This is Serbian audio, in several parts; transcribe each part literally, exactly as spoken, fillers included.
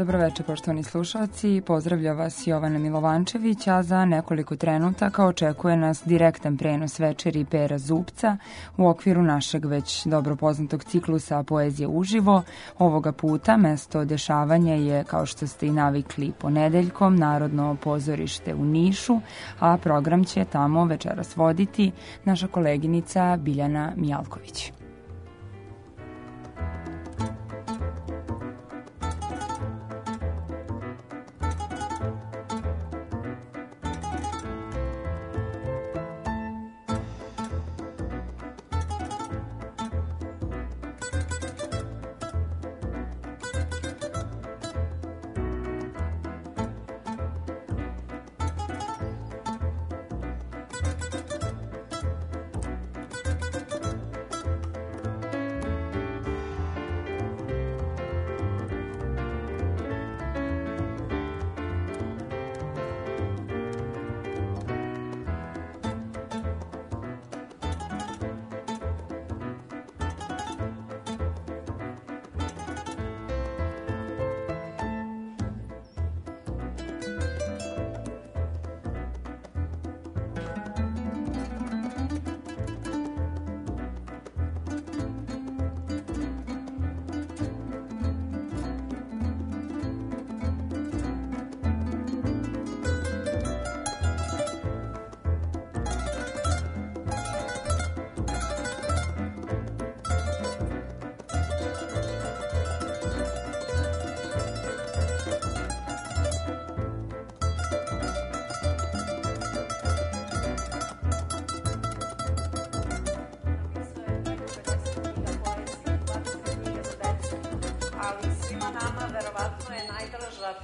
Dobroveče, poštovani slušalci. Pozdravlja vas Jovana Milovančević, a za nekoliko trenutaka očekuje nas direktan prenos večeri Pera Zupca u okviru našeg već dobro poznatog ciklusa Poezije uživo. Ovoga puta mesto dešavanja je, kao što ste i navikli, ponedeljkom Narodno pozorište u Nišu, a program će tamo večeras voditi naša koleginica Biljana Mijalković.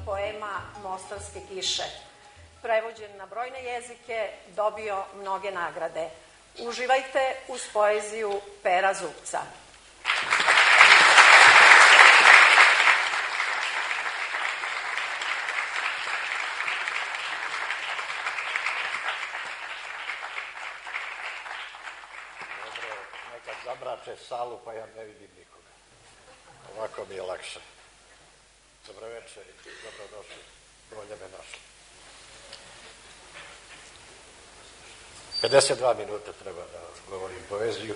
Poema Mostarske kiše. Prevođen na brojne jezike, dobio mnoge nagrade. Uživajte uz poeziju Pera Zupca. Dobro, nekad zamrače salu pa ja ne vidim nikoga. Ovako mi je lakše. Dobro večer i dobrodošli. Bolje me našli. pedeset dva minuta treba da govorim poeziju.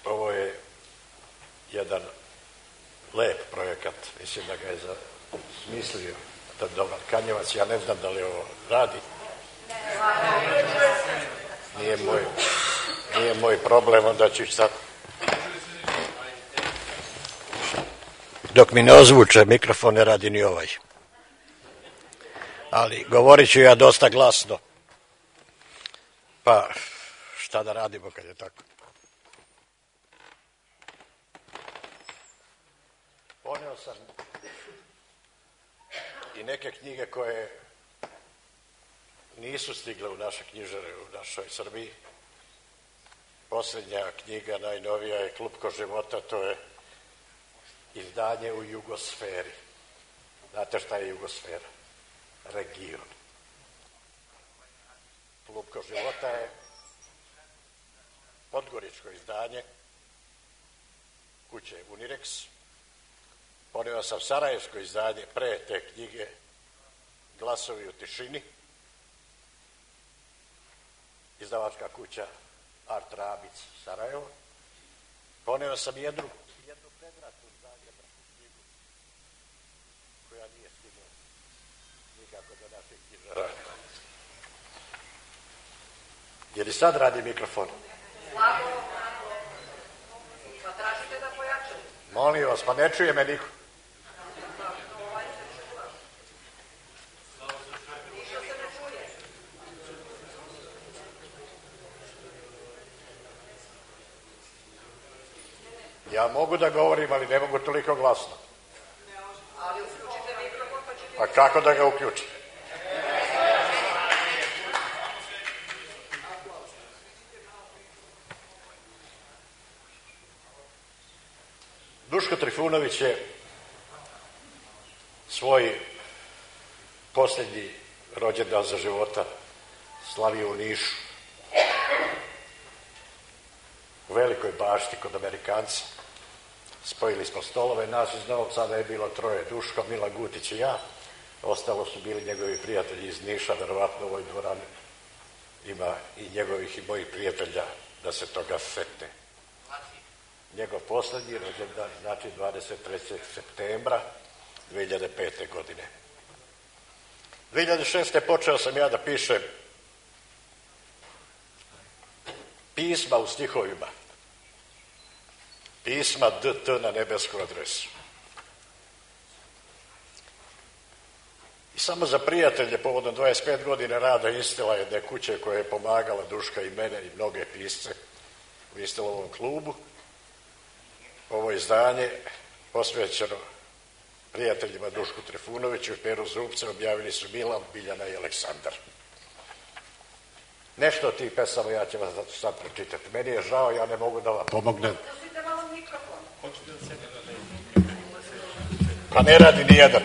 Ovo je jedan lep projekat. Mislim da ga je smislio dobar Kanjevac. Ja ne znam da li ovo radi. Nije moj, nije moj problem, onda ću sad... Dok mi ne ozvuče mikrofon, ne radi ni ovaj. Ali govorit ću ja dosta glasno. Pa šta da radimo kad je tako? Poneo sam i neke knjige koje nisu stigle u naše knjižare u našoj Srbiji. Posljednja knjiga, najnovija, je Klupko života, to je izdanje u Jugosferi. Znate šta je Jugosfera? Region. Klupko života je podgoričko izdanje kuće Unirex. Poneo sam sarajevsko izdanje pre te knjige Glasovi u tišini. Izdavačka kuća Art Rabic, Sarajevo. Poneo sam jednu jednu predratnu izdanje knjigu koja nije stigla nikako do naših knjižara. Je li sad radi mikrofon? Slabo, pa tražite da pojačate. Molim vas, pa ne čuje me niko. Ja mogu da govorim, ali ne mogu toliko glasno. Ali uključite mikrofon pa ćete... Pa kako da ga uključim? Duško Trifunović je svoj posljednji rođendan za života slavio u Nišu, u Velikoj Bašti kod Amerikanca. spojili smo stolove, nas iz Novog Sada je bilo troje, Duško, Mila Gutić i ja, ostalo su bili njegovi prijatelji iz Niša, verovatno u ovoj dvorani ima i njegovih i mojih prijatelja da se toga setne. Njegov poslednji rođendan, znači dvadeset trećeg septembra dve hiljade pete. godine. dve hiljade šeste. počeo sam ja da pišem pisma u stihovima. Pisma D T na nebesku adresu. I samo za prijatelje, povodom dvadeset pet godina rada Instila, jedne kuće koja je pomagala Duška i mene i mnoge pisce u Instilovom klubu, ovo izdanje posvećeno prijateljima Dušku Trifunoviću i Peru Zupca objavili su Milan, Biljana i Aleksandar. Nešto od tih pesama ja ću vas sad pročitati. Meni je žao, ja ne mogu da vam pomognem. Pa ne radi nijedan.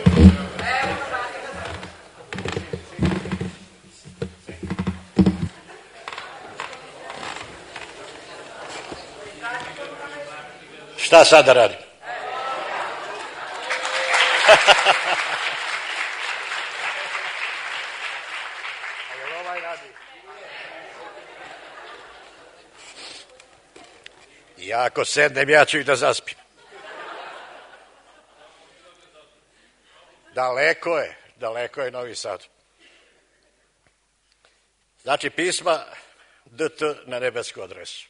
Šta sad da radim? Ja ako sednem, ja ću i da zaspim. Daleko je, daleko je Novi Sad. Znači, pisma D T na nebesku adresu.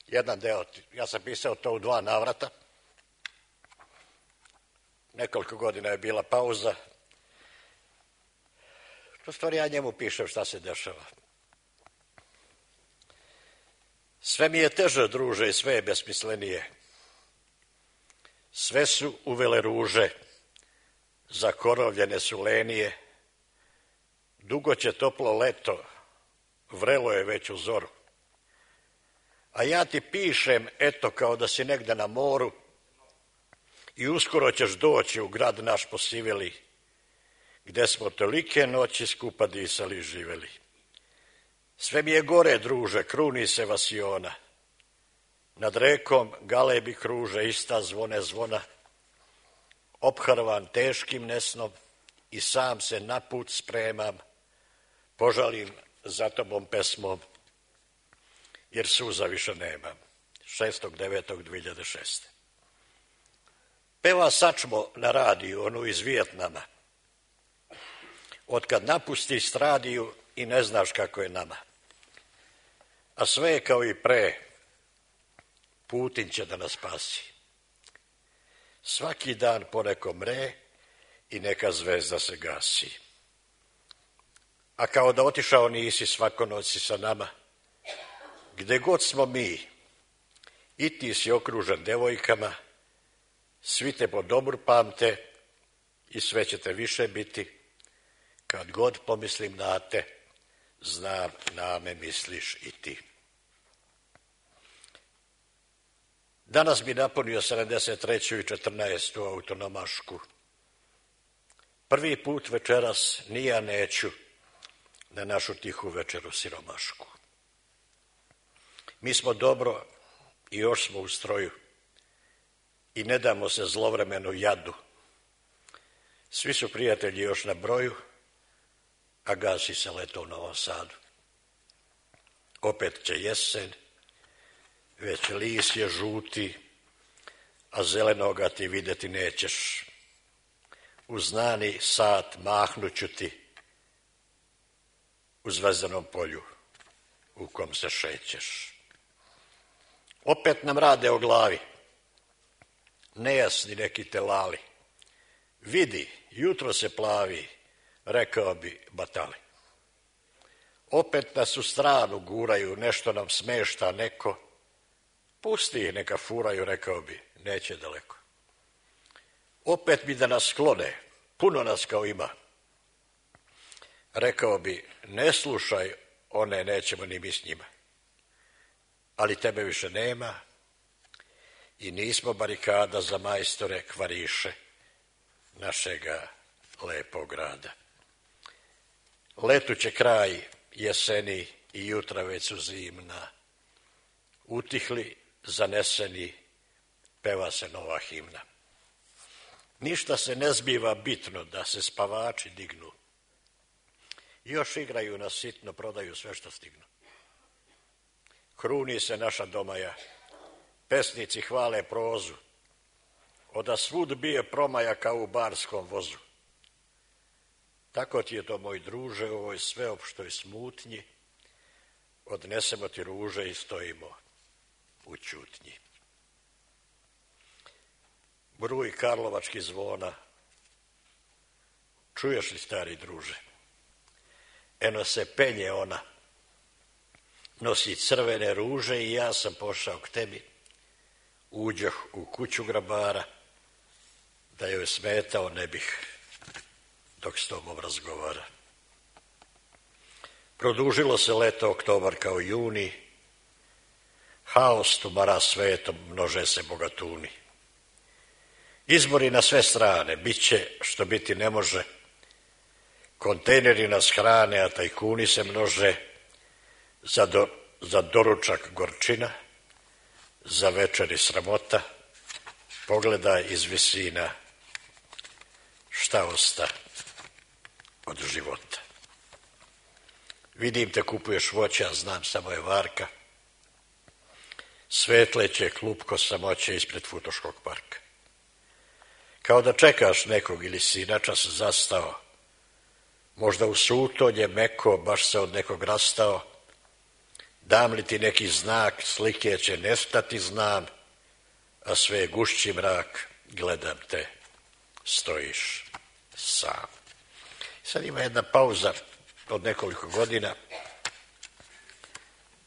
Jedan deo, ja sam pisao to u dva navrata. Nekoliko godina je bila pauza. U stvari ja njemu pišem šta se dešava. Sve mi je teže, druže, i sve je besmislenije. Sve su uvele ruže, zakorovljene su lenije. Dugo će toplo leto, vrelo je već u zoru. A ja ti pišem, eto, kao da si negde na moru i uskoro ćeš doći u grad naš posiveli, gde smo tolike noći skupa disali i živeli. Sve mi je gore, druže, kruni se vasiona. Nad rekom galebi kruže, ista zvone zvona. Opharvan teškim nesnom i sam se na put spremam. Požalim za tobom pesmom, jer suza više nemam. šestog devetog dve hiljade šeste. Peva sačmo na radiju, onu iz Vijetnama. Otkad napusti stradiju i ne znaš kako je nama. A sve je kao i pre, Putin će da nas spasi. Svaki dan poneko mre i neka zvezda se gasi. A kao da otišao nisi, svako noć si sa nama. Gde god smo mi, i ti si okružen devojkama, svi te po dobru pamte i sve će te više biti. Kad god pomislim na te, znam, na me misliš i ti. Danas bi napunio sedamdeset treću i četrnaestu autonomašku. Prvi put večeras ni ja neću na našu tihu večeru siromašku. Mi smo dobro i još smo u stroju i ne damo se zlovremenu jadu. Svi su prijatelji još na broju, a gasi se leto u Novom Sadu. Opet će jesen, već lis je žuti, a zelenoga ti videti nećeš. U znani sat mahnuću ti u zvezdanom polju u kom se šećeš. Opet nam rade o glavi, nejasni neki telali. Vidi, jutro se plavi, rekao bi Batali. Opet nas u stranu guraju, nešto nam smešta neko. Pusti ih, neka furaju, rekao bi, neće daleko. Opet bi da nas sklone, puno nas kao ima. Rekao bi, ne slušaj, one nećemo ni mi s njima. Ali tebe više nema i nismo barikada za majstore kvariše našega lepog grada. Letu će kraj jeseni i jutra već su zimna. Utihli, zaneseni, peva se nova himna. Ništa se ne zbiva bitno da se spavači dignu. Još igraju na sitno, prodaju sve što stignu. Kruni se naša domaja, pesnici hvale prozu, oda svud bije promaja kao u barskom vozu. Tako ti je to, moj druže, u ovoj sveopštoj smutnji, odnesemo ti ruže i stojimo u ćutnji. Bruj karlovački zvona, čuješ li, stari druže? Eno se penje ona, nosi crvene ruže i ja sam pošao k tebi. Uđoh u kuću grabara, da joj smetao ne bih dok s tobom razgovara. Produžilo se leto, oktobar kao juni, haos tumara svetom, množe se bogatuni. Izbori na sve strane, bit će što biti ne može, kontejneri nas hrane, a tajkuni se množe, za, do, za doručak gorčina, za večeri sramota, pogledaj iz visina šta osta od života. Vidim te kupuješ voća, znam samo je varka, svetleće klupko samoće ispred Futoškog parka. Kao da čekaš nekog ili si načas zastao, možda u sutonje meko baš se od nekog rastao, dam li ti neki znak, slike će nestati znam, a sve je gušći mrak, gledam te, stojiš sam. Sad ima jedna pauza od nekoliko godina,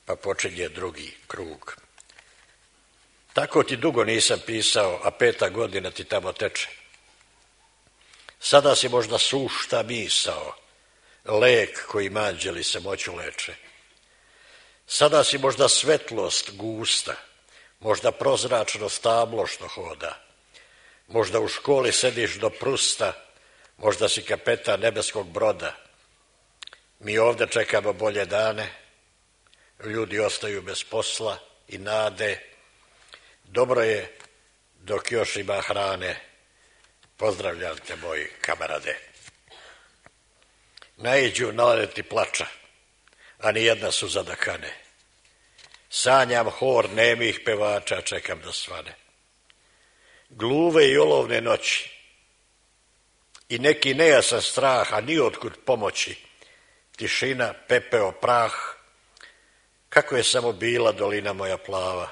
pa počinje drugi krug. Tako ti dugo nisam pisao, a peta godina ti tamo teče. Sada si možda sušta misao, lek koji anđeli se moću leče. Sada si možda svetlost gusta, možda prozračno stablo što hoda, možda u školi sediš do prusta, možda si kapetan nebeskog broda. Mi ovde čekamo bolje dane, ljudi ostaju bez posla i nade. Dobro je dok još ima hrane, pozdravljam te, moji kamarade. Naiđu naleti plača, a nijedna suza da kane. Sanjam hor nemih pevača, čekam da svane. Gluve i olovne noći i neki nejasan strah, a ni otkud pomoći. Tišina, pepeo, prah, kako je samo bila dolina moja plava.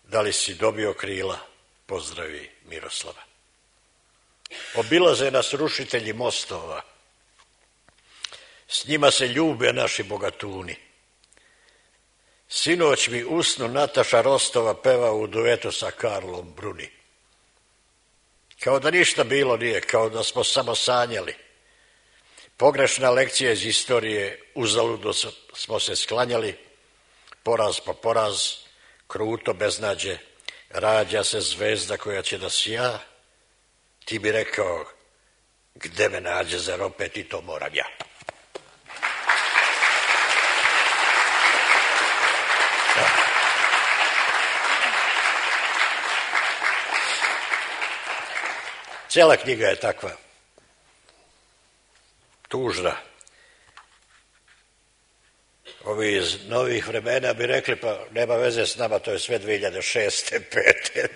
Da li si dobio krila, pozdravi Miroslava. Obilaze nas rušitelji mostova, s njima se ljube naši bogatuni. Sinoć mi usnu Nataša Rostova peva u duetu sa Karlom Bruni. Kao da ništa bilo nije, kao da smo samo sanjali. Pogrešna lekcija iz istorije, uzaludo smo se sklanjali, poraz po poraz, kruto beznađe, rađa se zvezda koja će da sja. Ti bi rekao, gde me nađe, zar opet i to moram ja. Cijela knjiga je takva, tužna. Ovi iz novih vremena bi rekli, pa nema veze s nama, to je sve dve hiljade šeste. pete.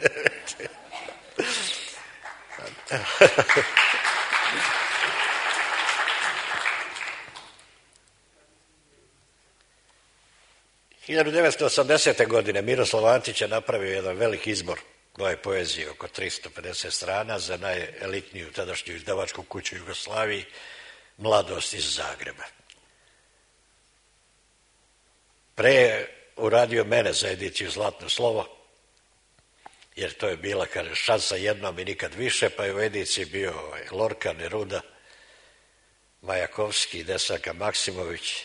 hiljadu devetsto osamdesete. godine Miroslav Antić je napravio jedan veliki izbor moje poezije, oko tristo pedeset strana, za najelitniju tadašnju izdavačku kuću u Jugoslaviji, Mladost iz Zagreba. Pre je uradio mene za ediciju Zlatno slovo, jer to je bila, kaže, šansa jednom i nikad više, pa je u ediciji bio ovaj, Lorka, Neruda, Majakovski, Desanka Maksimović,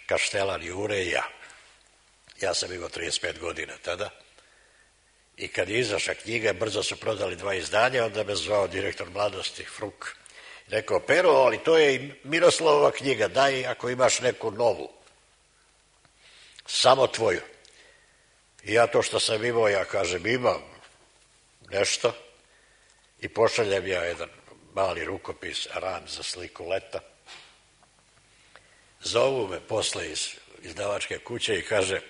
Kaštelan Jure i ja. Ja sam imao trideset pet godina tada. I kad je izašla knjiga, brzo su prodali dva izdanja, onda me zvao direktor Mladosti, Fruk. Rekao, Pero, ali to je i Miroslavova knjiga, daj ako imaš neku novu. Samo tvoju. I ja to što sam imao, ja kažem imam nešto i pošaljem ja jedan mali rukopis, ran za sliku leta. Zovu me posle iz izdavačke kuće i kaže,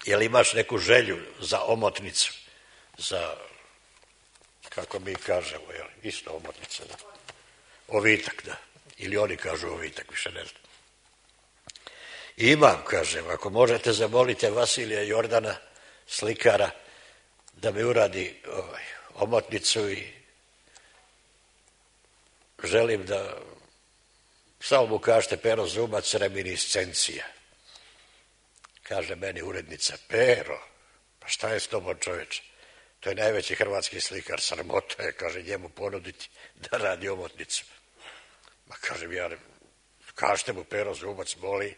jel imaš neku želju za omotnicu, za, kako mi kažemo, jel, isto omotnica, da. Ovitak, da. Ili oni kažu ovitak, više ne znam. Imam, kažem, ako možete zamolite Vasilija Jordana, slikara, da mi uradi ovaj, omotnicu i želim da, samo mu kažete Pero Zubac, reminiscencija. Kaže meni urednica, Pero, pa šta je s tobom čoveče? To je najveći hrvatski slikar, sramota je, kaže, njemu ponuditi da radi omotnicu. Ma kažem ja, kažete mu Pero Zubac moli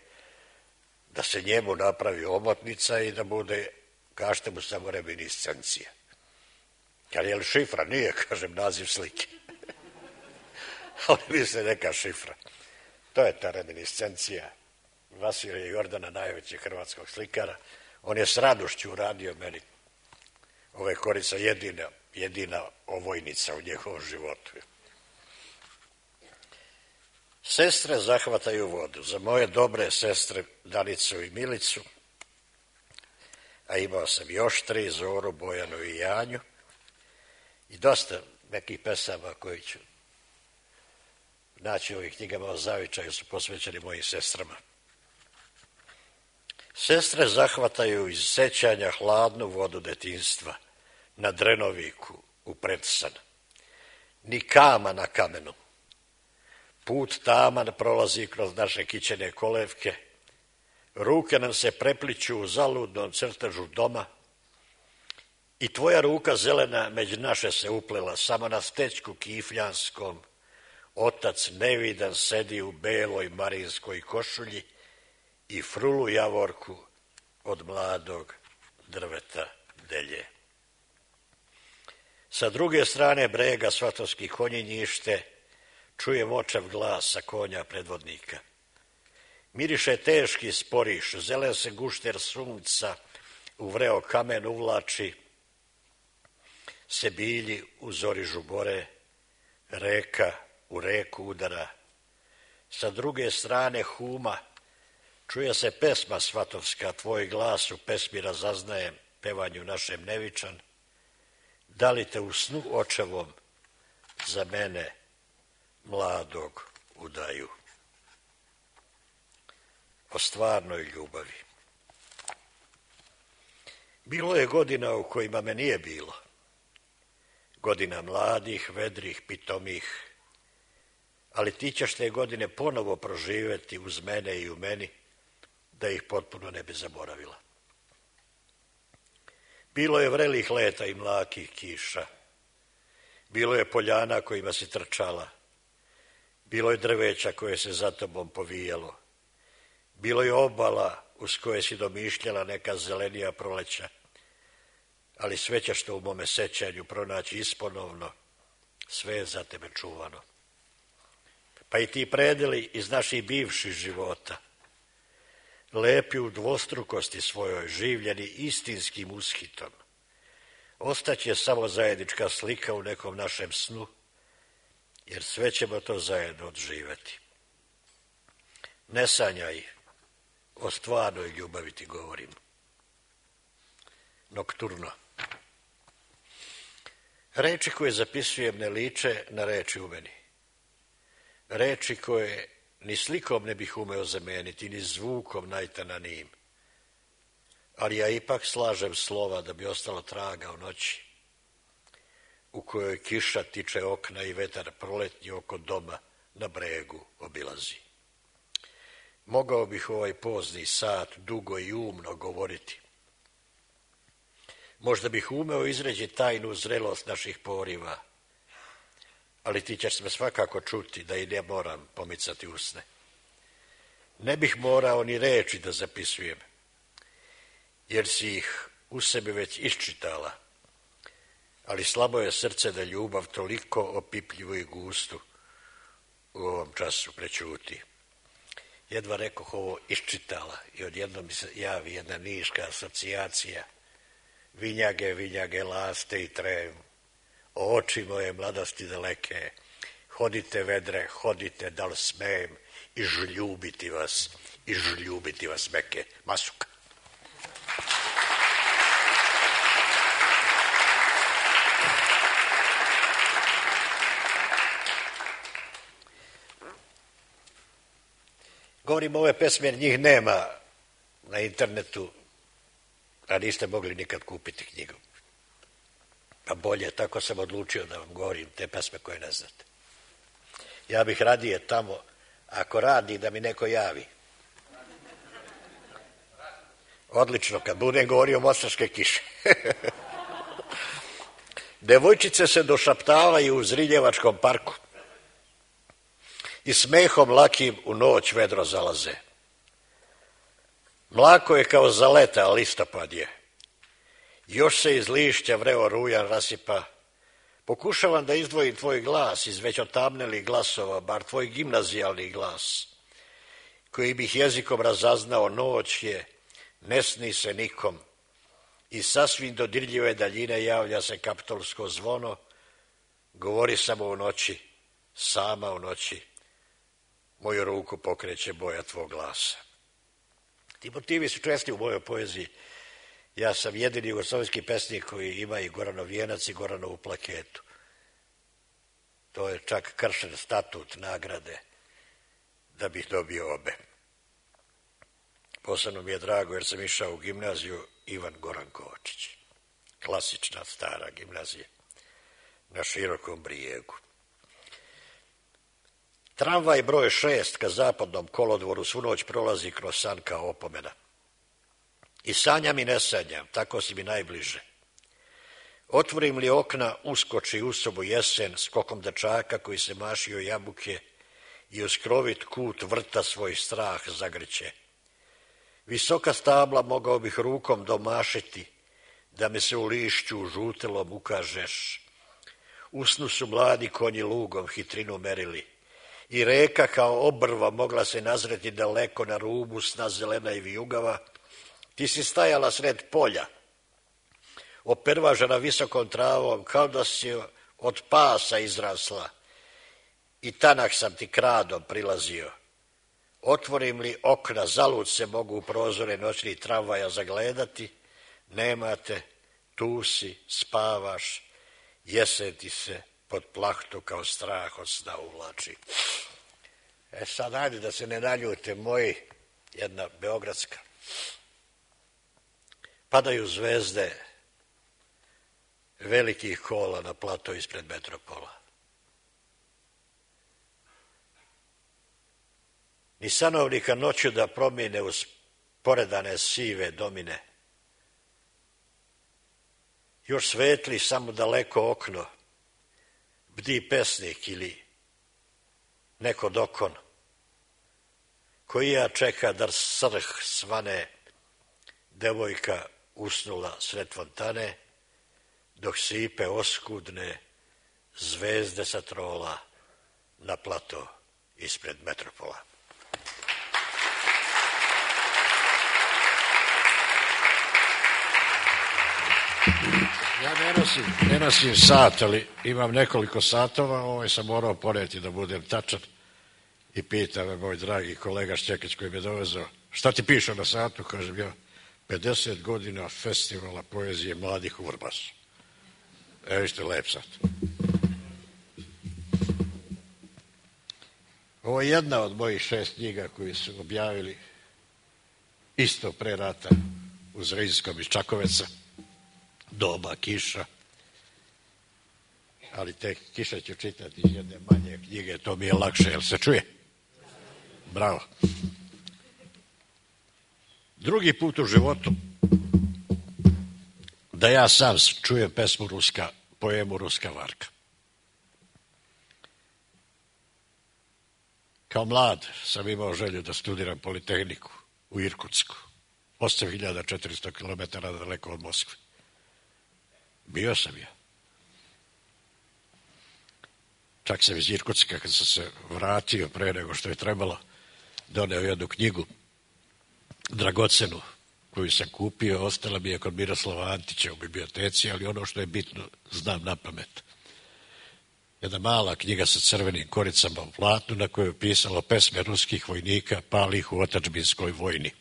da se njemu napravi omotnica i da bude, kažete mu samo reminiscencija. Kaže, je li šifra? Nije, kažem, naziv slike. Ali misle neka šifra. To je ta reminiscencija Vasilija Jordana, najvećeg hrvatskog slikara. On je s radošću uradio meni ove Korica, jedina, jedina ovojnica u njegovom životu. Sestre zahvataju vodu. Za moje dobre sestre Danicu i Milicu, a imao sam još tri, Zoru, Bojanu i Janju, i dosta nekih pesama koji ću naći u ovih knjigama o zavičaju su posvećeni mojim sestrama. Sestre zahvataju iz sećanja hladnu vodu detinjstva na Drenoviku u predsan. Ni kama na kamenu. Put taman prolazi kroz naše kićene kolevke. Ruke nam se prepliću u zaludnom crtežu doma i tvoja ruka zelena među naše se uplela, samo na stečku kifljanskom. Otac nevidan sedi u beloj marinskoj košulji i frulu javorku od mladog drveta delje. Sa druge strane brega Svatovski konjinjište, čujem očev glas sa konja predvodnika. Miriše teški sporiš, zelen se gušter sunca u vreo kamen uvlači, se bilji u zori žubore, reka u reku udara. Sa druge strane huma, čuje se pesma svatovska, tvoj glas u pesmi razaznajem, pevanju našem nevičan. Da li te u snu očevom za mene mladog udaju? O stvarnoj ljubavi. Bilo je godina u kojima me nije bilo. Godina mladih, vedrih, pitomih, ali ti ćeš te godine ponovo proživjeti uz mene i u meni, da ih potpuno ne bi zaboravila. Bilo je vrelih leta i mlakih kiša. Bilo je poljana kojima si trčala. Bilo je drveća koje se za tobom povijalo. Bilo je obala uz koje si domišljala neka zelenija proleća. Ali sve ćeš to u mome sećanju pronaći isponovno, sve je za tebe čuvano. Pa i ti predeli iz naših bivših života, lepi u dvostrukosti svojoj, življeni istinskim ushitom, ostaće samo zajednička slika u nekom našem snu, jer sve ćemo to zajedno odživjeti. Ne sanjaj, o stvarnoj ljubavi ti govorim. Nokturno. Reči koje zapisujem ne liče na reči u meni. Reči koje ni slikom ne bih umeo zameniti, ni zvukom najtananijim. Ali ja ipak slažem slova da bi ostalo traga u noći, u kojoj kiša tiče okna i vetar proletnji oko doma na bregu obilazi. Mogao bih ovaj pozni sat dugo i umno govoriti. Možda bih umeo izreći tajnu zrelost naših poriva, ali ti ćeš me svakako čuti da i ne moram pomicati usne. Ne bih morao ni reči da zapisujem, jer si ih u sebi već iščitala, ali slabo je srce da ljubav toliko opipljivu i gustu u ovom času prećuti. jedva rekoh ovo iščitala i odjednom mi se javi jedna niška asocijacija. Vinjage, vinjage, laste i trem, o oči moje mladosti daleke, hodite vedre, hodite, da li smejem, i žljubiti vas, i žljubiti vas meke. Masuka. Govorim ove pesme jer njih nema na internetu, a niste mogli nikad kupiti knjigu. Pa bolje, tako sam odlučio da vam govorim te pesme koje ne znate. Ja bih radije tamo, ako radi, da mi neko javi. Odlično, kad budem govorio Mostarske kiše. Devojčice se došaptavaju u Zriljevačkom parku i smehom lakim u noć vedro zalaze. Mlako je kao zaleta, a listopad je. Još se iz lišća vreo rujan rasipa. Pokušavam da izdvojim tvoj glas iz već otamnelih glasova, bar tvoj gimnazijalni glas, koji bih jezikom razaznao. Noć je, ne sni se nikom, i sasvim dodirljive daljine javlja se kaptolsko zvono. Govori samo u noći, sama u noći, moju ruku pokreće boja tvog glasa. Ti motivi su česti u mojoj poeziji. Ja sam jedini jugoslovenski pesnik koji ima i Goranov vijenac i Goranovu plaketu. To je čak kršen statut nagrade da bih dobio obe. Posebno mi je drago jer sam išao u gimnaziju Ivan Goran Kovačić. Klasična stara gimnazija na Širokom Brijegu. Tramvaj broj šest ka zapadnom kolodvoru svu noć prolazi kroz san kao opomena. I sanjam i ne sanjam, tako si mi najbliže. Otvorim li okna, uskoči u sobu jesen skokom dečaka koji se mašio jabuke i uz krovit kut vrta svoj strah zagrće. Visoka stabla mogao bih rukom domašiti, da me se u lišću žutelom ukažeš. Usnu su mladi konji lugom hitrinu merili i reka kao obrva mogla se nazreti daleko na rubu sna zelena i vijugava. Ti si stajala sred polja, opervažena visokom travom, kao da si od pasa izrasla, i tanak sam ti kradom prilazio. Otvorim li okna, zalud se mogu u prozore noćnih tramvaja zagledati, nemate, tu si, spavaš, jesen ti se pod plahtu kao strah od sna uvlači. E sad, ajde da se ne naljute moji, jedna beogradska. Padaju zvezde velikih kola na plato ispred metropola. Ni sanovnika noću da promijene uz poredane sive domine. Još svetli samo daleko okno, bdi pesnik ili neko dokon, koji ja čeka da srh svane, devojka usnula sred fontane, dok sipe oskudne zvezde sa trola na plato ispred metropola. Ja ne nosim, ne nosim sat, ali imam nekoliko satova, ovaj sam morao poneti da budem tačan, i pita me moj dragi kolega Šćekić koji me dovezao, šta ti piše na satu? Kažem ja, pedeset godina festivala poezije mladih u Vrbasu. Evo ište lep sat. Ovo je jedna od mojih šest knjiga koji su objavili isto pre rata u Zrinjskom iz Čakoveca, Doba kiša, ali te kiše ću čitati iz jedne manje knjige, to mi je lakše, jel se čuje? Bravo. Drugi put u životu da ja sam čujem pesmu Ruska, poemu Ruska varka. Kao mlad sam imao želju da studiram Politehniku u Irkutsku, osam hiljada četiristo kilometara daleko od Moskve. Bio sam ja. Čak sam iz Irkutska, kad sam se vratio pre nego što je trebalo, doneo jednu knjigu, dragocenu, koju sam kupio, ostala mi je kod Miroslava Antića u biblioteci, ali ono što je bitno znam na pamet. Jedna mala knjiga sa crvenim koricama u platnu na kojoj je pisalo pesme ruskih vojnika palih u otadžbinskoj vojni.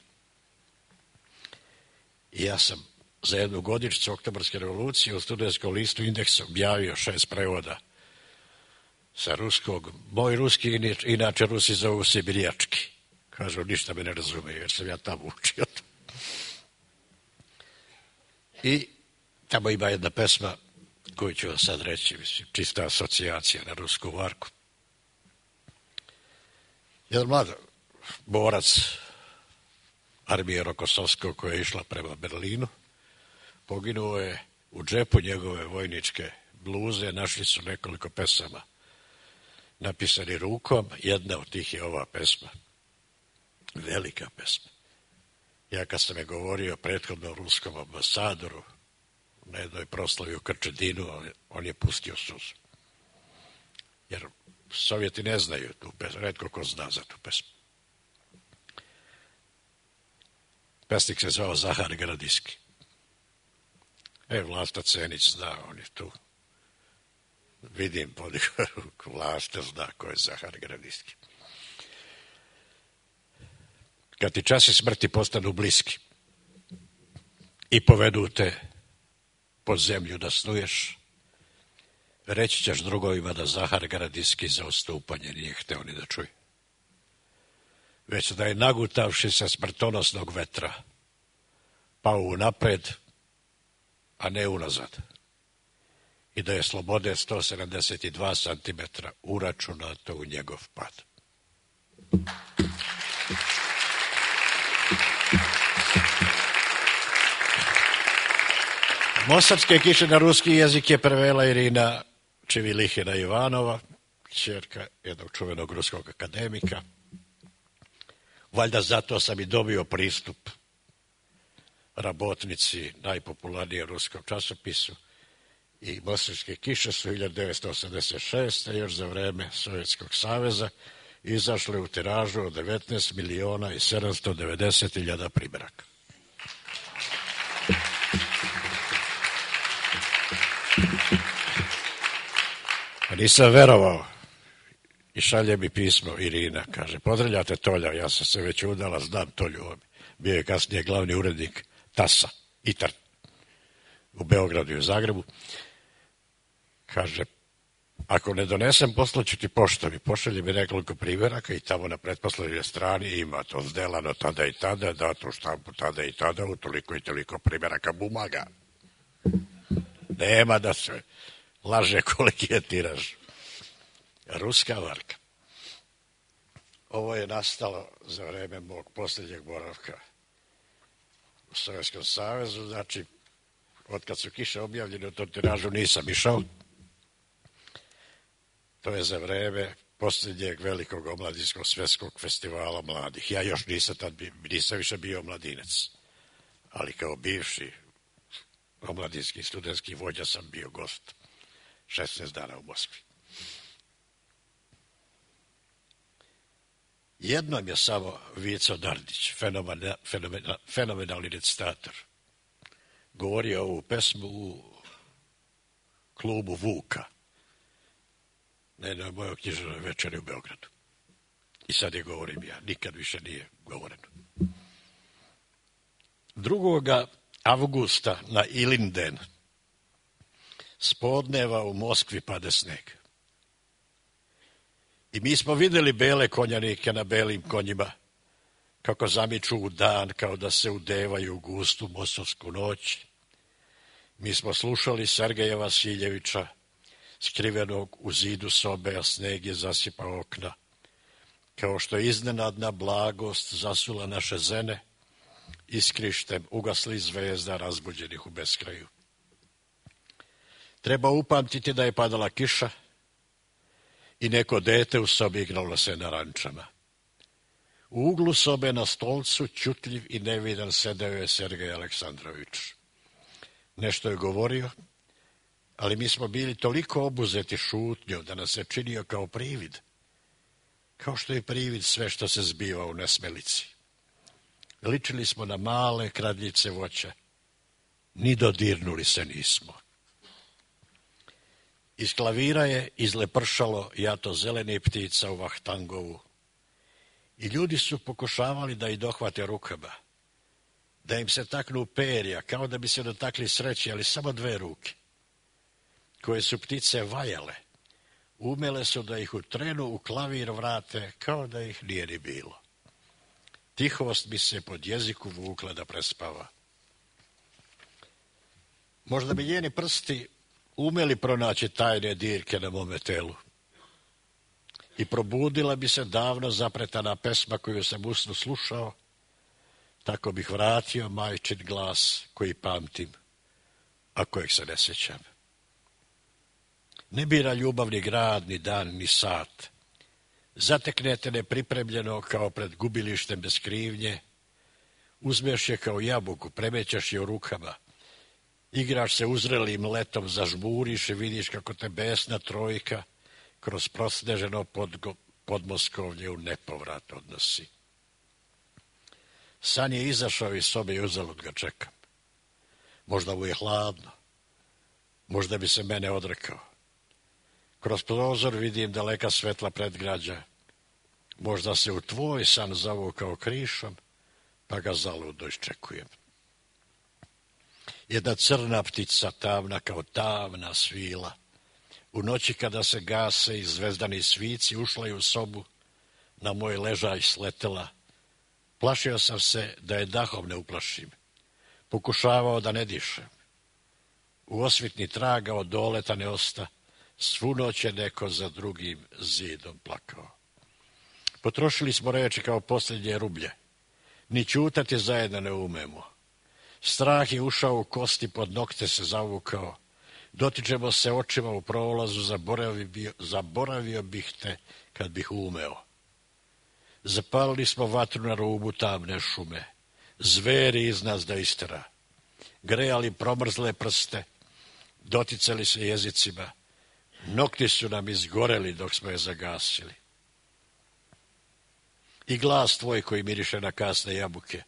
I ja sam za jednu godišnjicu Oktobarske revolucije u studentskom listu Indeks objavio šest prevoda sa ruskog. Moj ruski, inače Rusi zovu sibirijački. Kažu, ništa me ne razumeju, jer sam ja tamo učio. I tamo ima jedna pesma koju ću vam sad reći, mislim, čista asocijacija na rusku varku. Jedan mlad borac armije Rokosovskog koja je išla prema Berlinu, poginuo je u džepu njegove vojničke bluze, našli su nekoliko pesama napisani rukom, jedna od tih je ova pesma. Velika pesma. Ja kad sam je govorio prethodno ruskom ambasadoru na jednoj proslavi u Krčedinu, on je pustio suzu. Jer Sovjeti ne znaju tu pesmu, retko ko zna za tu pesmu. Pesnik se zvao Zahar Gradiski. E, Vlasta Cenić zna, on je tu. Vidim podigao ruku, Vlasta zna ko je Zahar Gradiski. Kad ti časi smrti postanu bliski i povedu te pod zemlju da snuješ, reći ćeš drugovima da Zahar Gradiski za odstupanje nije hteo ni da čuje. Već da je nagutavši se smrtonosnog vetra pao unapred, a ne unazad. I da je slobode sto sedamdeset dva centimetra uračunato u njegov pad. Mostarske kiše na ruski jezik je prevela Irina Čivilihina Ivanova, ćerka jednog čuvenog ruskog akademika. Valjda zato sam i dobio pristup Rabotnici, najpopularnijem ruskom časopisu, i Mostarske kiše su hiljadu devetsto osamdeset šeste. još za vreme Sovjetskog saveza izašle u tiražu od devetnaest miliona i sedamsto devedeset hiljada primjeraka. Nisam verovao i šalje mi pismo Irina, kaže, pozdravljate Tolja, ja sam se već udala, znam Tolju, bio je kasnije glavni urednik Tasa, Itar, u Beogradu i u Zagrebu. Kaže, ako ne donesem, poslaću ti poštom i pošalje mi nekoliko primjeraka i tamo na pretposlednjoj strani ima to zdelano tada i tada, dato u štampu tada i tada, u toliko i toliko primjeraka bumaga. Nema da se laže koliki je tiraž. Ruska varka. Ovo je nastalo za vreme mog posljednjeg boravka u Sovjetskom savezu, znači, od kad su kiše objavljene u tom tiražu nisam išao. To je za vreme posljednjeg velikog omladinskog svjetskog festivala mladih. Ja još nisam tad, nisam više bio mladinac, ali kao bivši omladinski studentski vođa sam bio gost šesnaest dana u Moskvi. Jednom je samo Vico Dardić, fenomena, fenomena, fenomenalni recitator, govorio ovu pesmu u klubu Vuka, na jednoj mojoj književnoj večeri u Beogradu. I sad je govorim ja, nikad više nije govoreno. drugoga avgusta na Ilinden s podneva u Moskvi pade sneg. I mi smo vidjeli bele konjanike na belim konjima, kako zamiču u dan, kao da se udevaju u gustu mosovsku noć. Mi smo slušali Sergeja Vasiljevića, skrivenog u zidu sobe, a sneg je zasipao okna. Kao što je iznenadna blagost zasula naše zene, iskrištem ugasli zvezda razbuđenih u beskraju. Treba upamtiti da je padala kiša i neko dete u sobi igralo se na rančama. U uglu sobe na stolcu, ćutljiv i nevidan, sedeo je Sergej Aleksandrović. Nešto je govorio, ali mi smo bili toliko obuzeti šutnjom da nas se činio kao privid. kao što je privid sve što se zbiva u Nesmelici. Ličili smo na male kradljice voća, ni dodirnuli se nismo. Iz klavira je izlepršalo jato zelenih ptica u Vahtangovu i ljudi su pokušavali da ih dohvate rukama, da im se taknu perja, kao da bi se dotakli sreće, ali samo dve ruke, koje su ptice vajale, umele su da ih u trenu u klavir vrate, kao da ih nije ni bilo. Tihost bi se pod jeziku vukla da prespava. Možda bi njeni prsti umeli pronaći tajne dirke na mome telu i probudila bi se davno zapretana pesma koju sam usno slušao, tako bih vratio majčin glas koji pamtim, a kojeg se ne sjećam. Ne bira ljubav ni grad, ni dan, ni sat. Zateknete nepripremljeno kao pred gubilištem bez krivnje, uzmeš je kao jabuku, premećaš je u rukama, igraš se uzrelim letom, zažmuriš i vidiš kako te besna trojka kroz prosneženo podgo, podmoskovlje u nepovrat odnosi. San je izašao iz sobe i uzalud ga čekam. Možda mu je hladno, možda bi se mene odrekao. Kroz prozor vidim daleka svetla predgrađa. Možda se u tvoj san zavukao krišom, pa ga zaludo iščekujem. Jedna crna ptica, tamna kao tamna svila, u noći kada se gase i zvezdani svici, ušla je u sobu, na moj ležaj sletela. Plašio sam se da je dahom ne uplašim. Pokušavao da ne dišem. U osvitni traga od doleta ne osta, svu noć je neko za drugim zidom plakao. Potrošili smo reči kao posljednje rublje. Ni ćutati zajedno ne umemo. Strah je ušao u kosti, pod nokte se zavukao. Dotičemo se očima u prolazu, zaboravio, zaboravio bih te kad bih umeo. Zapalili smo vatru na rubu tamne šume. Zveri iz nas da istera. Grejali promrzle prste, doticali se jezicima. Nokti su nam izgoreli dok smo je zagasili. I glas tvoj koji miriše na kasne jabuke,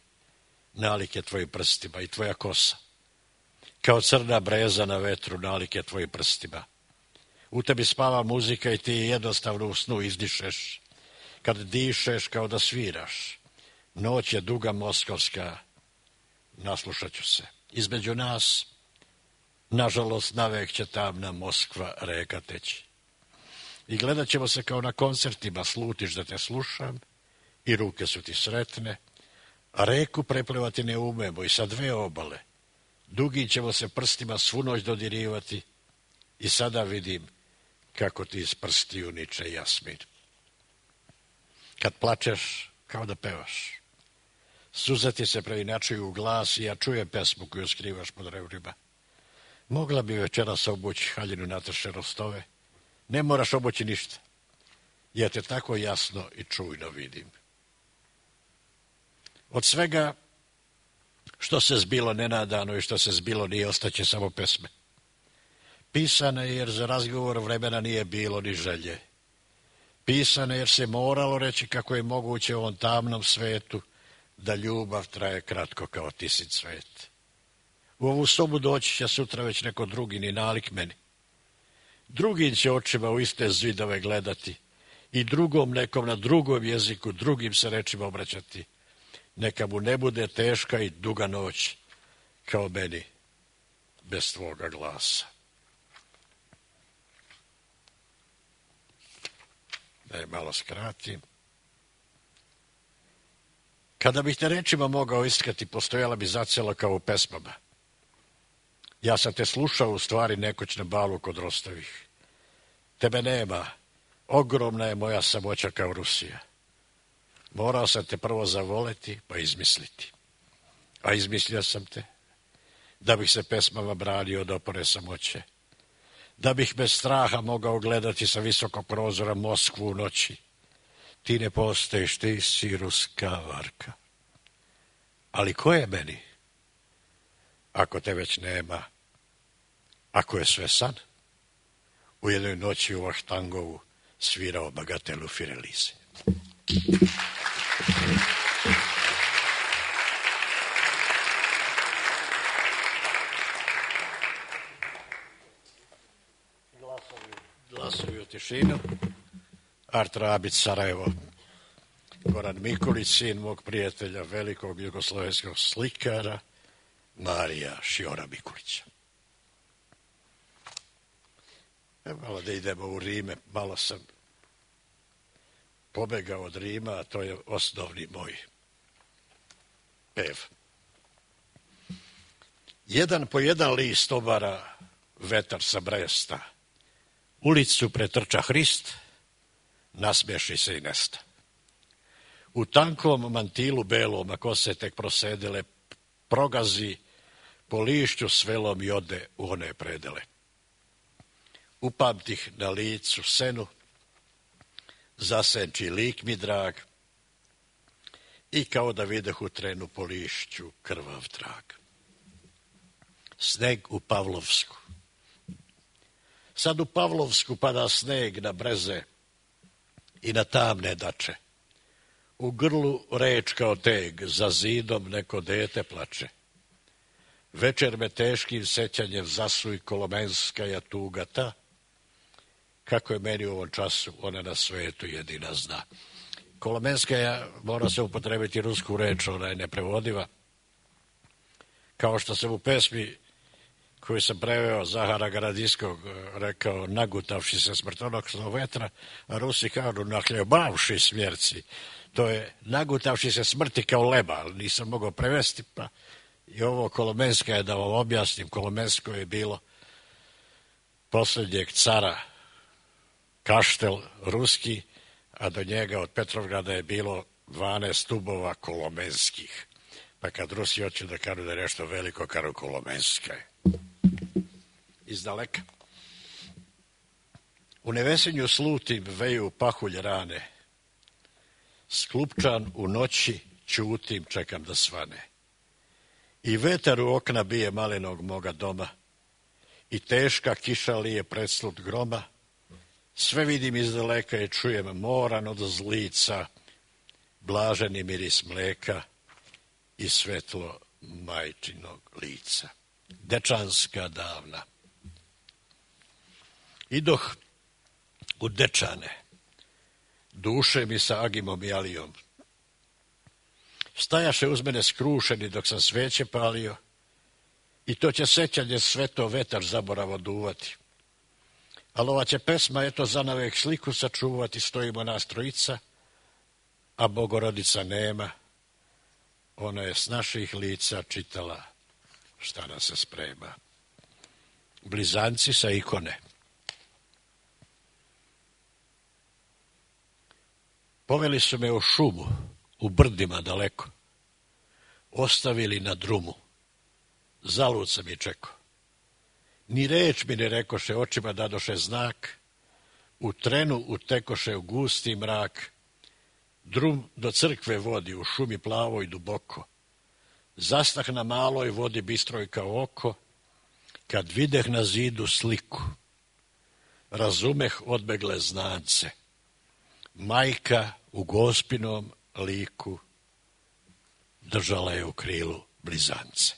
nalike tvojim prstima, i tvoja kosa, kao crna breza na vetru, nalike tvojim prstima. U tebi spava muzika i ti jednostavno u snu izdišeš, kad dišeš kao da sviraš. Noć je duga moskovska, naslušat ću se. Između nas, nažalost, navek će tamna Moskva reka teći. I gledat ćemo se kao na koncertima, slutiš da te slušam i ruke su ti sretne, a reku preplivati ne umemo i sa dve obale. Dugi ćemo se prstima svu noć dodirivati i sada vidim kako ti iz prstiju niče jasmin. Kad plačeš, kao da pevaš. Suze ti se preinačuju u glas i ja čujem pesmu koju skrivaš pod rebrima. Mogla bi večeras obući haljinu natrše rostove. Ne moraš obući ništa. Ja te tako jasno i čujno vidim. Od svega što se zbilo nenadano i što se zbilo nije, ostaće samo pesme. Pisane jer za razgovor vremena nije bilo ni želje. Pisane jer se moralo reći kako je moguće u ovom tamnom svetu da ljubav traje kratko kao tisin cvet. U ovu sobu doći će sutra već neko drugi, ni nalik meni. Drugim će očima u iste zidove gledati i drugom nekom na drugom jeziku, drugim se rečima obraćati. Neka mu ne bude teška i duga noć, kao meni, bez tvoga glasa. Da je malo skratim. Kada bih te rečima mogao iskati, postojala bi zacijelo kao u pesmama. Ja sam te slušao u stvari nekoć na balu kod Rostovih. Tebe nema, ogromna je moja samoća kao Rusija. Morao sam te prvo zavoleti, pa izmisliti. A izmislio sam te, da bih se pesmama branio od opore samoće. Da bih bez straha mogao gledati sa visokog prozora Moskvu u noći. Ti ne postojiš, ti si ruska varka. Ali ko je meni? Ako te već nema, ako je sve san, u jednoj noći u Vahtangovu svirao bagatelu Firelize. Glasovi u tišinu. Art Rabić, Sarajevo. Goran Mikulić, sin mog prijatelja, velikog jugoslovenskog slikara, Marija Šiora Mikulića. E, malo da idemo u Rime, malo sam pobegao od Rima, a to je osnovni moj pev. Jedan po jedan list obara vetar sa Bresta. Ulicu pretrča Hrist, nasmeši se i nesta. U tankom mantilu belom, a kose tek prosedele, progazi po lišću svelom i ode u one predele. Upamtih na licu senu, zasenči lik mi drag, i kao da videh u trenu po lišću krvav trag. Sneg u Pavlovsku. Sad u Pavlovsku pada sneg na breze i na tamne dače. U grlu reč kao teg, za zidom neko dete plače. Večer me teškim sećanjem zasuj kolomenskaja tuga ta, kako je meni u ovom času, ona na svetu jedina zna. Kolomenskaja, mora se upotrebiti rusku reč, ona je neprevodiva. Kao što sam u pesmi koju sam preveo Zahara Garadinskog rekao, nagutavši se smrtonosnog vetra, a Rusi kažu nahljebavši smjerci. To je nagutavši se smrti kao leba, ali nisam mogao prevesti, pa i ovo Kolomenska je, da vam objasnim, Kolomensko je bilo posljednjeg cara, kaštel ruski, a do njega od Petrovgrada je bilo dvanaest stubova kolomenskih. Pa kad Rusi hoće da kažu da je nešto veliko, kažu Kolomenska je. Iz daleka. U nevesenju slutim veju pahulj rane. Sklupčan u noći ćutim, čekam da svane. I vetar u okna bije malenog moga doma. I teška kiša lije predslut groma. Sve vidim iz daleka i čujem moran od zlica, blaženi miris mleka i svetlo majčinog lica. Dečanska davna. Idoh u Dečane, duše mi sa Agimom i Alijom. Stajaše uz mene skrušeni dok sam sveće palio, i to će sećanje sveto vetar zaboravo duvati. Ali ova će pesma, eto, zanavek sliku sačuvati, stojimo nas trojica, a Bogorodica nema. Ona je s naših lica čitala šta nas se sprema. Blizanci sa ikone. Poveli su me u šumu, u brdima daleko. Ostavili na drumu. Zalud sam i čekao. Ni reč mi ne rekoše, očima dadoše znak. U trenu utekoše u gusti mrak. Drum do crkve vodi, u šumi plavo i duboko. Zastah na maloj vodi bistroj kao oko. Kad videh na zidu sliku, razumeh odbegle znance. Majka u Gospinom liku držala je u krilu blizance.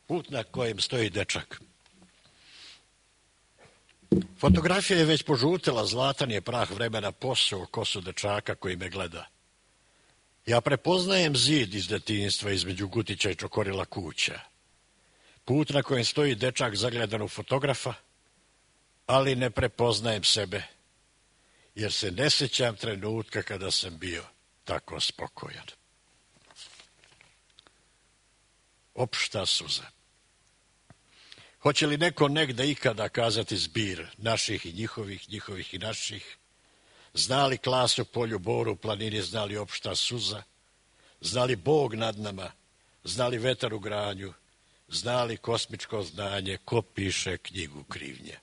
Put na kojem stoji dečak. Fotografija je već požutila, zlatan je prah vremena posao kosu dečaka koji me gleda. Ja prepoznajem zid iz detinjstva između Gutića i Čokorila kuća. Put na kojem stoji dečak zagledan u fotografa, ali ne prepoznajem sebe, jer se ne sjećam trenutka kada sam bio tako spokojan. Opšta suza. Hoće li neko negde ikada kazati zbir naših i njihovih, njihovih i naših? Zna li klas u polju, boru, planini, zna li opšta suza? Zna li Bog nad nama? Zna li vetar u granju? Zna li kosmičko znanje? Ko piše knjigu krivnje?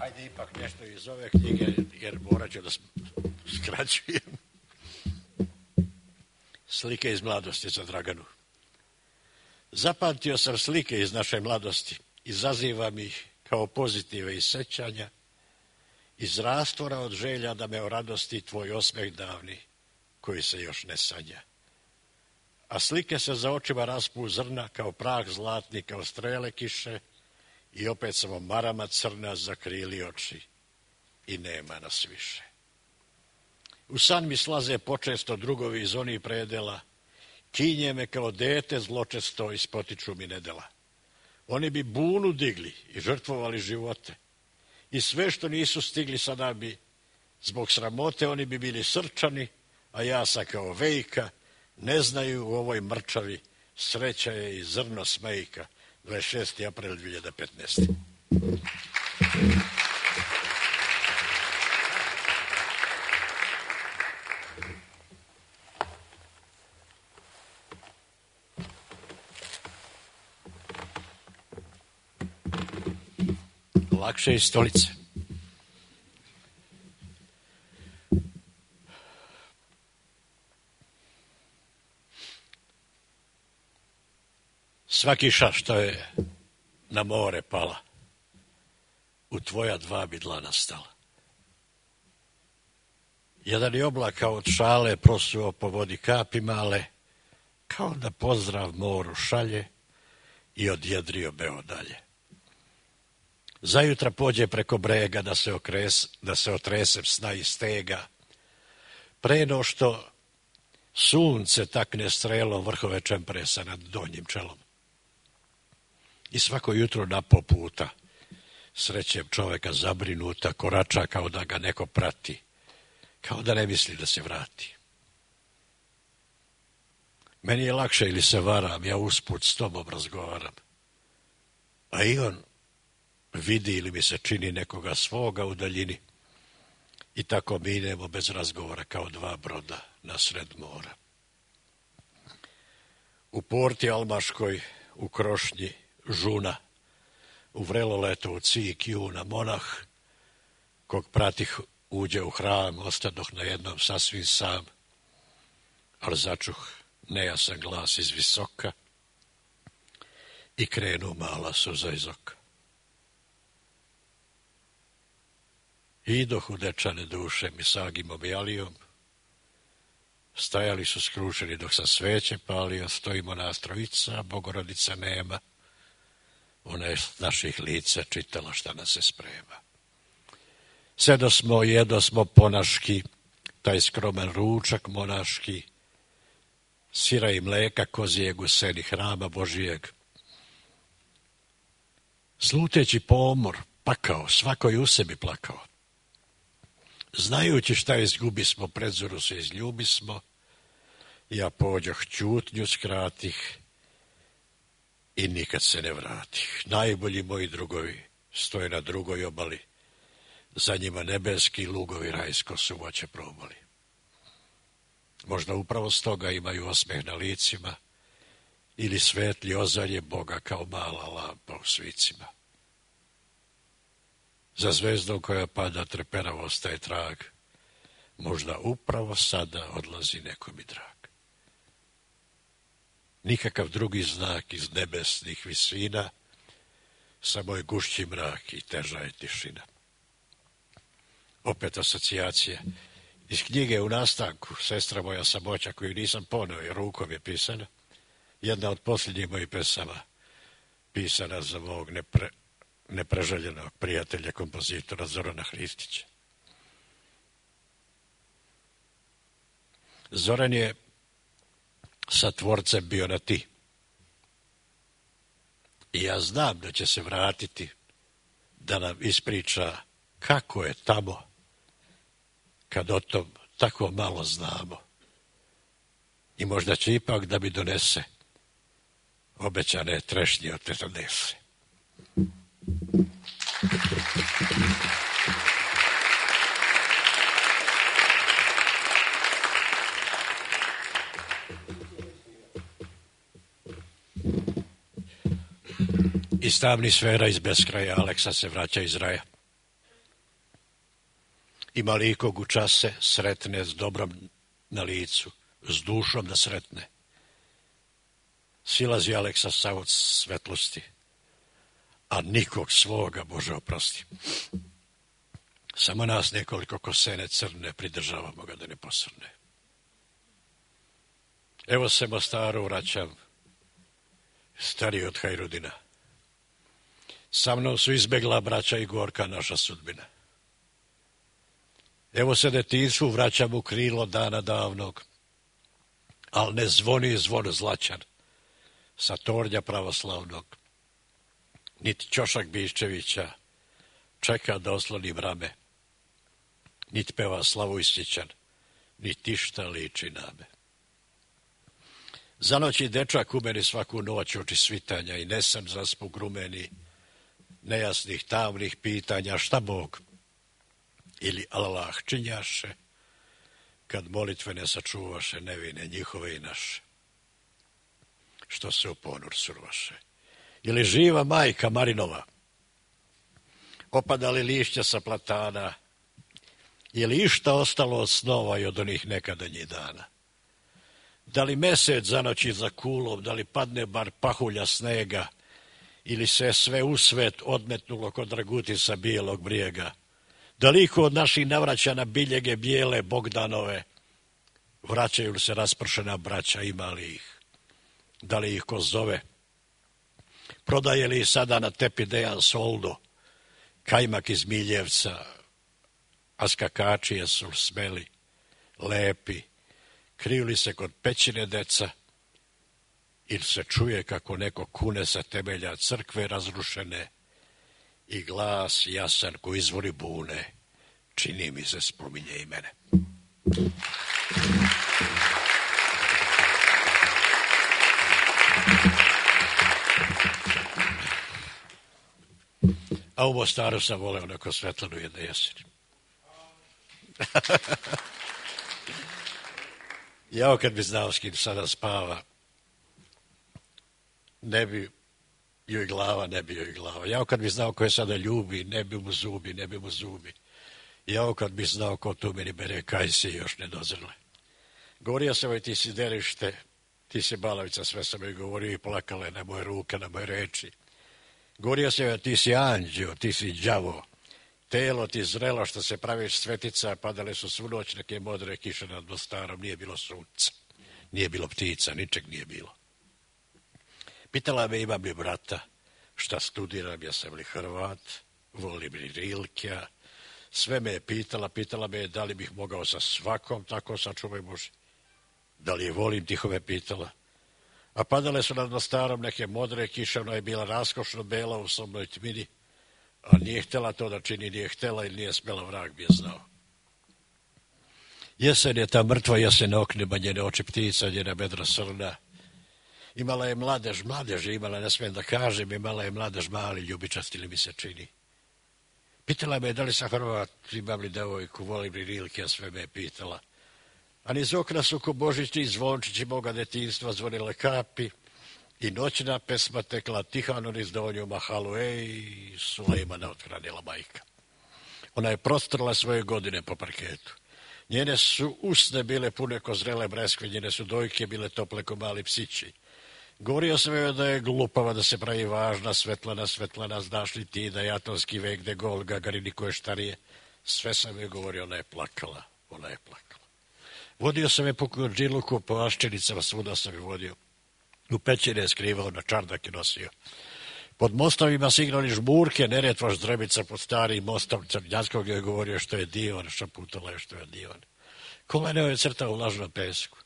Ajde ipak nešto iz ove knjige, jer morat ću da skraćujem. Slike iz mladosti za Draganu. Zapamtio sam slike iz naše mladosti. Izazivam ih kao pozitive iz sećanja, iz rastvora od želja da me o radosti tvoj osmeh davni, koji se još ne sanja. A slike se za očima raspu zrna, kao prah zlatni, kao strele kiše, i opet samo marama crna zakrili oči i nema nas više. U san mi slaze počesto drugovi iz onih predela, kinje me kao dete zločesto i spotiču mi nedela. Oni bi bunu digli i žrtvovali živote. I sve što nisu stigli sada bi, zbog sramote, oni bi bili srčani, a ja sam kao vejka, ne znaju u ovoj mrčavi, sreća je i zrno smejka. dvadeset šesti april dve hiljade petnaeste. Lakše iz stolice. Sva kiša što je na more pala, u tvoja dva bi dlana stala. Jedan je oblaka od šale prosuo po vodi kapi male, kao da pozdrav moru šalje i odjedrio beo dalje. Zajutra pođe preko brega da se, okres, da se otresem sna i stega, pre no što sunce takne strelo vrhove čempresa nad donjim čelom. I svako jutro na po puta srećem čoveka zabrinuta, korača kao da ga neko prati, kao da ne misli da se vrati. Meni je lakše ili se varam, ja usput s tobom razgovaram, a i on vidi ili mi se čini nekoga svoga u daljini i tako minemo bez razgovora kao dva broda na sred mora. U porti Almaškoj, u krošnji žuna, u vrelo leto u cik juna monah, kog pratih uđe u hram, ostadoh na jednom sasvim sam, ali začuh nejasan glas iz visoka i krenu mala suza iz oka. Idoh u dečane duše mi sagimom i alijom, stajali su skrušeni dok sam sveće palio, stojimo nas trojica, Bogorodica nema, ona je naših lica čitala šta nas se sprema. Sedo smo, jedo smo ponaški, taj skroman ručak monaški, sira i mleka kozijeg u seni hrama Božijeg. Sluteći pomor, pakao, svako je u sebi plakao. Znajući šta izgubi smo, predzoru se izljubi smo, ja pođoh ćutnju skratih i nikad se ne vratih. Najbolji moji drugovi stoje na drugoj obali, za njima nebeski lugovi rajsko suvoće probali. Možda upravo stoga imaju osmeh na licima ili svetli ozarje Boga kao mala lampa u svicima. Za zvezdom koja pada treperavo ostaje trag, možda upravo sada odlazi neko mi drag. Nikakav drugi znak iz nebesnih visina, samo je gušći mrak i teža je tišina. Opet asocijacije. Iz knjige u nastanku, Sestra moja samoća, koju nisam poneo jer rukom je pisana, jedna od posljednjih mojih pesama, pisana za mog nepre, nepreželjenog prijatelja, kompozitora Zorana Hristića. Zoran je sa tvorcem bio na ti. I ja znam da će se vratiti da nam ispriča kako je tamo kad o tom tako malo znamo. I možda će ipak da mi donese obećane trešnje od Tetanese. Iz tamnih sfera, iz beskraja, Aleksa se vraća iz raja. Ima li ikog u čase sretne s dobrom na licu, s dušom da sretne? Silazi Aleksa Savoc svetlosti, a nikog svoga, Bože oprosti. Samo nas nekoliko kosene crne, pridržavamo ga da ne posrne. Evo se Mostaru vraćam, stariji od Hajrudina. Sa mnom su izbegla braća i gorka naša sudbina. Evo se detinjstvu vraćam u krilo dana davnog, al ne zvoni zvon zlačan sa tornja pravoslavnog. Niti Ćošak Biščevića čeka da osloni brame, niti peva Slavojstićan, niti išta liči na me. Za noći dečak u meni svaku noć oči svitanja i nesan zaspu grumeni, nejasnih tamnih pitanja šta Bog ili Allah činjaše, kad molitve ne sačuvaše nevine njihove i naše, što se u ponor survaše. Ili živa majka Marinova, opadali lišća sa platana, ili išta ostalo od snova i od onih nekadanjih dana. Da li mesec zanoći za kulom, da li padne bar pahulja snega, ili se sve u svet odmetnulo kod Dragutisa bijelog brijega, da li iko od naših navraća na biljege bijele Bogdanove, vraćaju li se raspršena braća, ima li ih, da li ih ko zove, prodaje li sada na tepi Dejan Soldo, kajmak iz Miljevca, a skakačije su smeli, lepi, kriju li se kod pećine deca, ili se čuje kako neko kune sa temelja crkve razrušene i glas jasan ko izvori bune, čini mi se spominje i mene. A u Mostaru sam voleo neko Svetlanu jedne jeseni. Jao kad bi znao s kim sada spava, ne bi joj glava, ne bi joj glava. Jao kad bi znao ko je sada ljubi, ne bi mu zubi, ne bi mu zubi. Jao kad bi znao ko tu meni bere kajsi još ne dozrle. Govorio sam joj ti si derište, ti si balavica, sve sam joj govorio i plakale na moje ruke, na moje reči. Govorio sam joj ti si anđeo, ti si đavo, telo ti zrelo što se praviš svetica, padale su svu noć neke modre kiše nad Mostarom, nije bilo sunca, nije bilo ptica, ničeg nije bilo. Pitala me imam li brata, šta studiram, ja sam li Hrvat, volim li Rilkija, sve me je pitala, pitala me da li bih mogao sa svakom tako sačuvaj Bože, da li je volim, tiho me pitala. A padale su nad Mostarom neke modre kiše, ona je bila raskošno bela u sobnoj tmini, a nije htjela to da čini, nije htjela ili nije smjela, vrag bi je znao. Jesen je ta mrtva jesen oknima, njene oči ptica, njena bedra srna. Imala je mladež, mladež je imala, ne smijem da kažem, imala je mladež mali, ljubičast ili mi se čini. Pitala me da li sam Hrvat, imam li devojku, volim li Rilke, a sve me je pitala. A niz okna su ko božićni zvončići moga detinjstva zvonile kapi i noćna pesma tekla tihano niz donju mahalu, ej, Sulejmana othranila majka. Ona je prostrla svoje godine po parketu. Njene su usne bile pune ko zrele breskve, njene su dojke bile tople ko mali psići. Govorio sam joj da je glupava, da se pravi važna, Svetlana, Svetlana, znaš li ti da je atomski vek, de Gol, Gagarin i koje štarije. Sve sam joj govorio, ona je plakala, ona je plakala. Vodio sam je po Kurđiluku, po Aščenicama, svuda sam je vodio. U pećine je skrivao, na čardak je nosio. Pod mostovima se igrali žmurke, Neretva Ždrebica pod starim mostom Crnjanskog je govorio što je divan, šaputala je što je divan. Koleneo je crtao u lažnom pesku.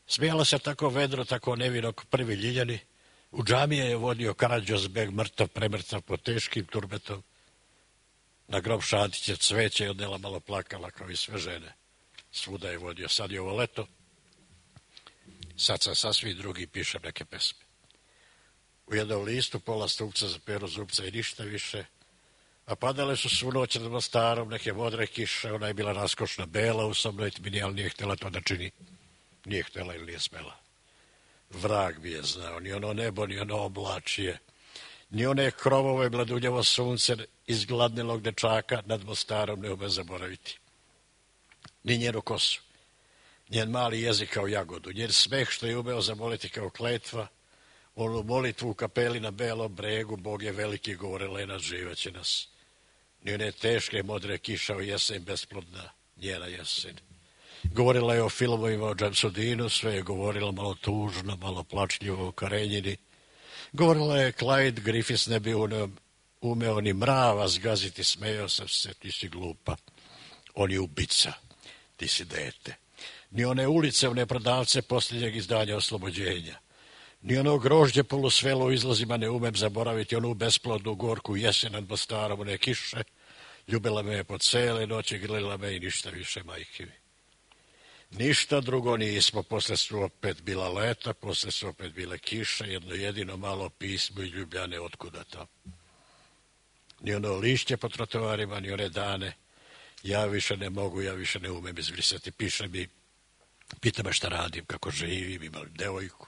Smijalo se tako vedro, tako nevino ko prvi Ljiljani. U džamije je vodio Karadžozbeg, mrtav, premrtav, pod teškim turbetom. Na grob Šantića cveće i odnela malo plakala kao i sve žene. Svuda je vodio. Sad je ovo leto. Sad sam sasvim drugi, pišem neke pesme. U jednom listu pola stupca za Pero Zupca i ništa više. A padale su svu noć nad Mostarom neke modre kiše. Ona je bila raskošna bela u sobnoj tmini, ali nije htjela to da čini. Nije htjela ili nije smela. Vrag bi je znao, ni ono nebo, ni ono oblačije, ni one krovove bladunjevo sunce iz gladnilog dečaka nad Mostarom ne ume zaboraviti. ni njenu kosu, njen mali jezik kao jagodu, njen smeh što je umeo zamoliti kao kletva, onu molitvu u kapeli na Belom bregu, Bog je veliki, govore Lena, živeće nas. Ni one teške modre kiša u jesen besplodna, njena jesen. Govorila je o filmovima o Jamesu Deanu, sve je govorila malo tužno, malo plačljivo o Karenjini. Govorila je Clyde Griffiths ne bi umeo ni mrava zgaziti, smejao sam se, ti si glupa. On je ubica, ti si dete. Ni one ulice, one prodavce posljednjeg izdanja Oslobođenja. Ni ono grožđe polusvelo u izlazima ne umem zaboraviti, onu besplodnu gorku jesen nad Mostarom, one kiše. Ljubila me je po cele noći, grlila me i ništa više, majke mi. Ništa drugo nismo, posle su opet bila leta, posle su opet bile kiše, jedno jedino malo pismo i Ljubljane otkuda tamo. Ni ono lišće po trotoarima, ni one dane. Ja više ne mogu, ja više ne umem izbrisati. Piše mi, pita me šta radim, kako živim, imam devojku.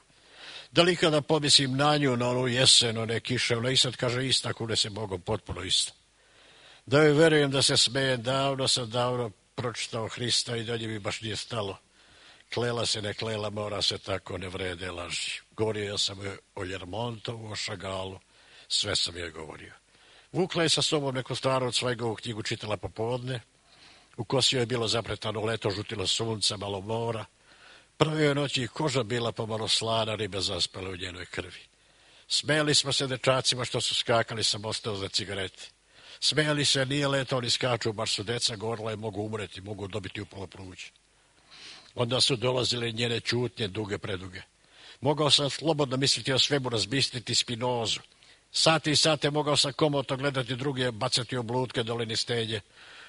Da li kada pomislim na nju, na onu jesen, one kiše, ona i sad kaže ista, kude se Bogom potpuno ista. Da joj verujem da se smejem, davno sam davno pročitao Hrista i dalje mi baš nije stalo. Klela se, ne klela, mora se tako, ne vrede laži. Govorio sam o Ljermontovu, o Šagalu, sve sam joj govorio. Vukla je sa sobom neku staru od Cvajgovu knjigu, čitala popodne. U kosi joj je bilo zapretano leto, žutilo sunca, malo mora. Prve joj noći koža bila pomalo slana, ribe zaspale u njenoj krvi. Smejali smo se dečacima što su skakali sa mosta za cigarete. Smejali se, nije leto, oni skaču, baš su deca, govorila je, mogu umreti, mogu dobiti upalo pluće. Onda su dolazile njene čutnje, duge, preduge. Mogao sam slobodno misliti o svemu, razbistriti Spinozu. Sate i sate mogao sam komotno gledati druge, bacati oblutke dolini stenje.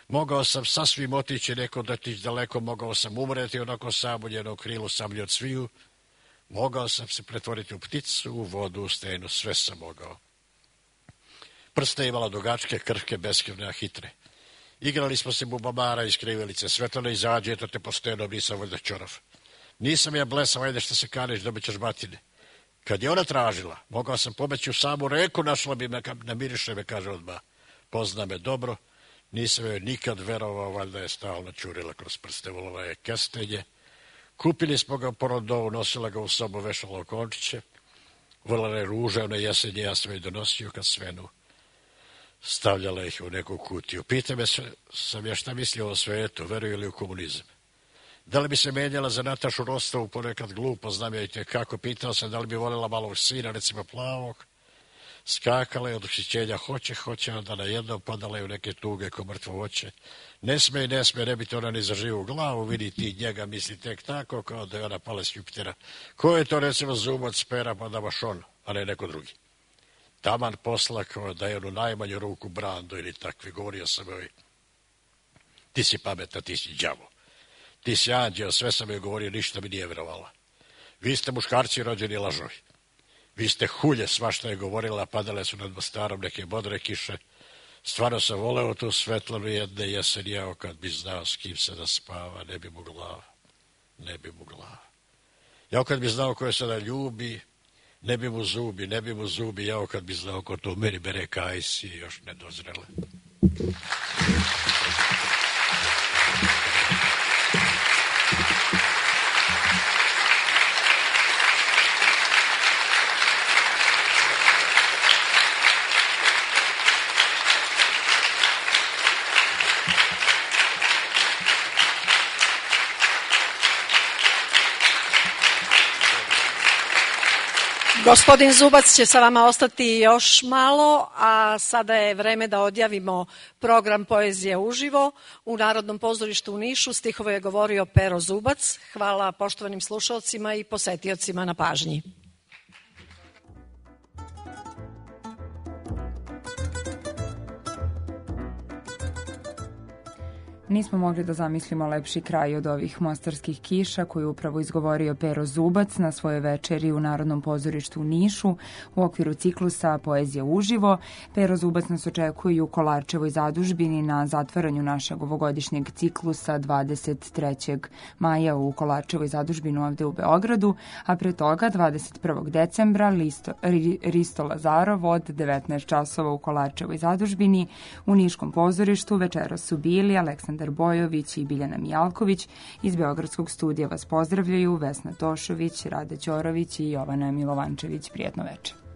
Mogao sam sasvim otići neko dotići daleko, mogao sam umreti onako sam u njenom krilu, samlji od sviju. Mogao sam se pretvoriti u pticu, u vodu, u stenu, sve sam mogao. Prste imala dugačke, krhke, beskrivne, a hitre. Igrali smo se bubamara iz krivelice, Svetlana izađe, eto te po stenom, nisam valjda čorav. Nisam ja blesav, ajde što se kaneš, dobit ćeš batine. Kad je ona tražila, mogao sam pobeći u samu reku, našla bi me, namiriše me, kaže odmah. Pozna me dobro, nisam joj nikad verovao, valjda je stalno čurila kroz prste, volila je kestenje. Kupili smo ga po Rondovu, nosila ga u sobu, vešala okončiće. Volila je ruže, one jesenje, ja sam joj donosio kad svenu. Stavljala ih u neku kutiju. Pita me sam ja šta mislio o svetu, veruje li u komunizam. Da li bi se menjala za Natašu Rostovu, ponekad glupo, znam ja i te kako. Pitao sam da li bi voljela malog sina, recimo plavog. Skakala je od ušićenja, hoće, hoće, onda na jednom padala je u neke tuge ko mrtvo voće. Ne sme i ne sme, ne bi to ona ni za živu glavu, vidi ti njega, misli tek tako, kao da je ona pala s Jupitera. Ko je to, recimo, Zubac, Pera, pa da baš on, a ne neko drugi. Taman posla kao da je onu najmanju ruku Brando ili takvi, govorio sam joj. Ti si pametna, ti si đavo. Ti si anđeo, sve sam joj govorio, ništa mi nije vjerovala. Vi ste muškarci rođeni lažovi. Vi ste hulje, svašta je govorila, padale su nad Mostarom neke bodre kiše. Stvarno sam voleo tu Svetlanu jedne jesen, jao kad bi znao s kim se da spava, ne bi mu glava, ne bi mu glava. Jao kad bi znao koje se da ljubi, ne bi mu zubi, ne bi mu zubi, jao kad bi znao ko to u meni bere kajsi, još ne dozrele. Gospodin Zubac će sa vama ostati još malo, a sada je vreme da odjavimo program Poezije uživo u Narodnom pozorištu u Nišu. Stihove je govorio Pero Zubac. Hvala poštovanim slušalcima i posetiocima na pažnji. Nismo mogli da zamislimo lepši kraj od ovih mostarskih kiša koju upravo izgovorio Pero Zubac na svojoj večeri u Narodnom pozorištu u Nišu u okviru ciklusa Poezija uživo. Pero Zubac nas očekuje u Kolarčevoj zadužbini na zatvaranju našeg ovogodišnjeg ciklusa dvadeset trećeg maja u Kolarčevoj zadužbini ovde u Beogradu, a pre toga dvadeset prvog decembra Listo, Risto Lazarov od devetnaest časova u Kolarčevoj zadužbini. U Niškom pozorištu večeras su bili Aleksandar Aleksandar Bojović i Biljana Mijalković. Iz Beogradskog studija vas pozdravljaju Vesna Tošović, Rada Ćorović i Jovana Milovančević. Prijetno večer.